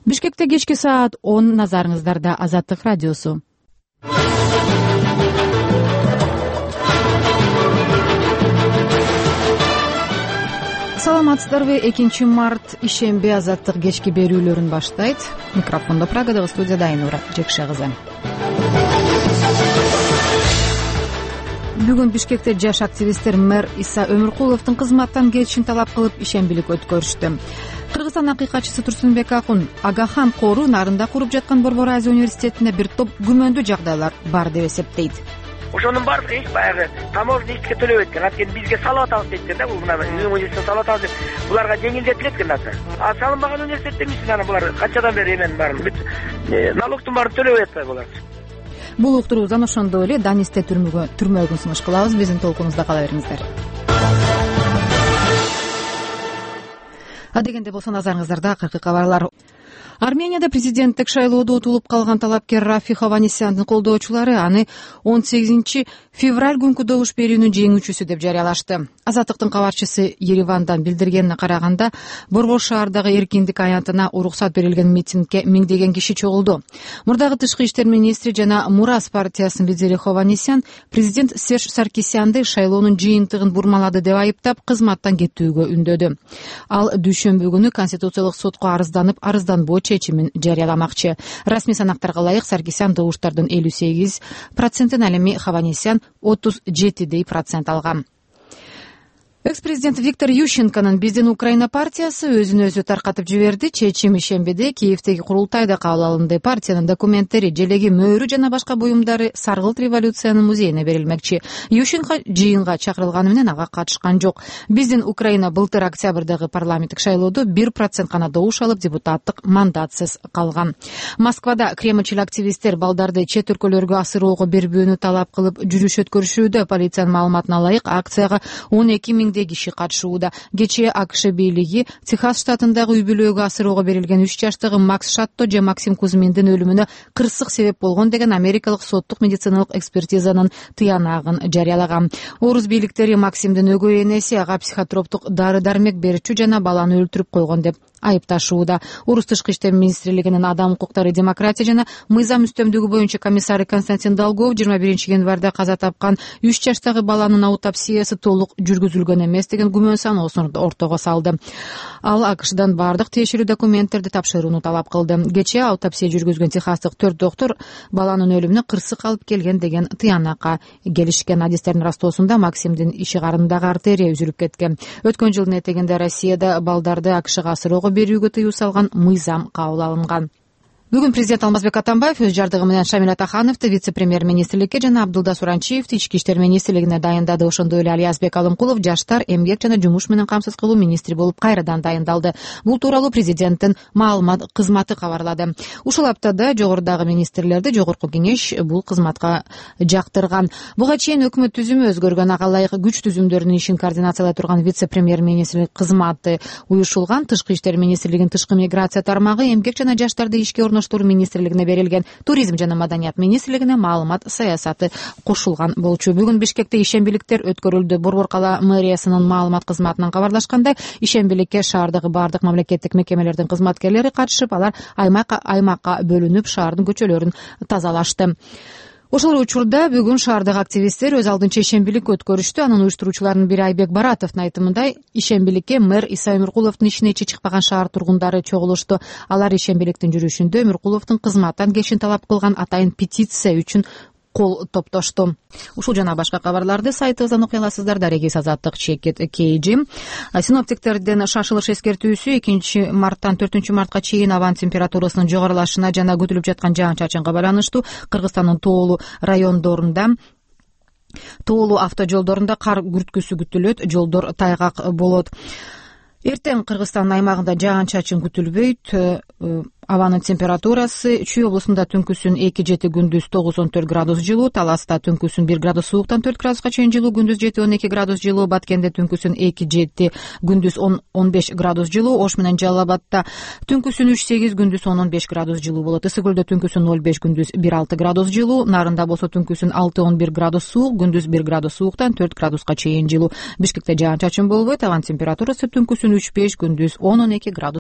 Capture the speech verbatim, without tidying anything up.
Бишкекте кечки саат он, назарыңыздарда Азаттык радиосу. Саламатсыздарбы? экинчи март ишемби Азаттык кечки берүүлөрүн баштайт. Микрофондо Прагадагы студияда Айнура Жекше кызы. Бүгүн Бишкекте жаш активисттер мэр Иса Өмүркуловдун кызматтан кетишин талап кылып ишембилик өткөрүштү. Кыргызстан акыйкатчысы Турсунбек Акун Агахан Кору нарында куруп жаткан Борбор Азия университетинде бир топ күмөндүү жагдайлар бар деп эсептейт. Ошонун баардыгы эч баягы таможня ичке төлөбөйт экен. Анткени бизге салып атабыз дейт экен да. Бул мына университеттен салып атабыз деп буларга жеңилдетилет экен нерсе. А салынбаган университет эмес анан булар канчадан бери эменин баарын бүт налогтун баарын төлөбөй атпайбы булар. Бул уктуруубуздан ошондой эле Данисте түрмөгө түрмөгүн сунуш кылабыз. Биздин толкунубузда кала бериңиздер. Адегенде болсо назарыңыздарда акыркы кабарлар. Арменияда президенттик шайлоодо утулуп калган талапкер Рафи Хованесяндын колдоочулары аны он сегизинчи февраль күнкү добуш берүүнүн жеңүүчүсү деп жарыялашты. Азаттыктын кабарчысы Еревандан билдиргенине караганда, Борбор шаардагы эркиндик аянтына уруксат берилген митингге миңдеген киши чогулду. Мурдагы тышкы иштер министри жана Мурас партиясынын лидери Хованесян президент Серж Саркисянды шайлоонун жыйынтыгын бурмалады деп айыптап, кызматтан кетүүгө үндөдү. Ал дүйшөмбү күнү Конституциялык сотко арызданып, арызданбоо чечимин жарыяламакчы. Расмий санактарга ылайык Саркисян добуштардын элүү сегиз процентин, ал эми Хованесян отуз жети процент алган. Экс-президент Виктор Ющенконун Биздин Украина партиясы өзүн өзү таркатып жиберди. Чечим ишембиде Киевдеги курултайда кабыл алынды. Партиянын документтери, желеги, мөөрү жана башка буюмдары Саргылт революциянын музейине берилмекчи. Ющенко жыйынга чакырылганы менен ага катышкан жок. Биздин Украина былтыр октябрдагы парламенттик шайлоодо бир процент гана добуш алып, депутаттык мандатсыз калган. Москвада кремльчил активисттер балдарды чет өлкөлөргө асыроого бербөөнү талап кылып жүрүш өткөрүшүүдө. Полициянын маалыматына ылайык, акцияга он эки миң киши катышууда. Кечээ АКШ бийлиги Техас штатындагы үй-бүлөгө асыроого берилген үч жаштагы Макс Шатто же Максим Кузьминдин өлүмүнө кырсык себеп болгон деген америкалык соттук медициналык экспертизанын тыянагын жарыялаган. Орус бийликтери Максимдин өгөй энеси ага психотроптук дары-дармек берчү жана баланы өлтүрүп койгон деп айыпташууда. Орус тышкы иштер министрлигинин адам укуктары, демократия жана мыйзам үстөмдүгү боюнча комиссары Константин Долгов жыйырма биринчи январда каза тапкан үч жаштагы баланын аутопсиясы толук жүргүзүлгөн эмес деген күмөн саноосун ортого салды. Ал АКШдан бардык тиешелүү документтерди тапшырууну талап кылды. Кечээ аутопсия жүргүзгөн техастык төрт доктор баланын өлүмүнө кырсык алып келген деген тыянакка келишкен. Адистердин растоосунда Максимдин иши карынындагы артерия үзүлүп кеткен. Өткөн жылдын этегинде Россияда балдарды АКШга асыроого берүүгө тыюу салган мыйзам кабыл алынган. Бүгүн президент Алмазбек Атамбаев өз жардыгы менен Шамил Атахановду вице-премьер-министрликке жана Абдулда Суранчиевди ички иштер министрлигине дайындады. Ошондой эле Алиязбек Алымкулов жаштар, эмгек жана жумуш менен камсыз кылуу министри болуп кайрадан дайындалды. Бул тууралуу президенттин маалымат кызматы кабарлады. Ушул аптада жогорудагы министрлерди жогорку кеңеш бул кызматка жактырган. Буга чейин өкмөт түзүмү өзгөргөн, ага ылайык күч түзүмдөрүнүн ишин координациялай турган вице-премьер-министрлик кызматы уюшулган. Тышкы иштер министрлигинин тышкы миграция тармагы, эмгек жана жаштарды ишке орноштуруу министрлигине берилген, туризм жана маданият министрлигине маалымат саясаты кошулган болчу. Бүгүн Бишкекте ишембиликтер өткөрүлдү. Борбор кала мэриясынын маалымат кызматынан кабарлашкандай, ишембиликке шаардагы бардык мамлекеттик мекемелердин кызматкерлери катышып, алар аймакка аймакка бөлүнүп шаардын көчөлөрүн тазалашты. Ошол учурда бүгүн шаардагы активисттер өз алдынча ишембилик өткөрүштү. Анын уюштуруучуларынын бири Айбек Баратовдун айтымында, ишембиликке мэр Иса Өмүркуловдун ишине ичи чыкпаган шаар тургундары чогулушту. Алар ишембиликтин жүрүшүндө Өмүркуловдун кызматтан кетишин талап кылган атайын петиция үчүн кол топтошту. Ушул жана башка кабарларды сайтыбыздан окуй аласыздар. Дарегиз Азаттык чекит Кейджи. Синоптиктердин шашылыш эскертүүсү экинчи марттан төртүнчү мартка чейин абанын температурасынын жогорулашына жана күтүлүп жаткан жаан-чачынга байланыштуу. Кыргызстандын тоолуу райондорунда тоолуу автожолдорунда кар күрткүсү күтүлөт, жолдор тайгак болот. Эртең Кыргызстандын аймагында жаан-чачын күтүлбөйт. Абанын температурасы Чүй облусунда түнкүсүн эки жети, күндүз тогуз он төрт градус жылуу, Таласта түнкүсүн бир градус сууктан төрт градуска чейин жылуу, күндүз жети он эки градус жылуу, Баткенде түнкүсүн эки жети, күндүз он он беш градус жылуу, Ош менен Жалал Абадта түнкүсүн үч сегиз, күндүз он он беш градус жылуу болот. Ысык көлдө түнкүсүн ноль беш, күндүз бир алты градус жылуу, Нарында болсо түнкүсүн алты он бир градус суук, күндүз бир градус сууктан төрт градуска чейин жылуу. Бишкекте жаан-чачын болбойт, абанын температурасы түнкүсүн үч беш, күндүз он он эки градус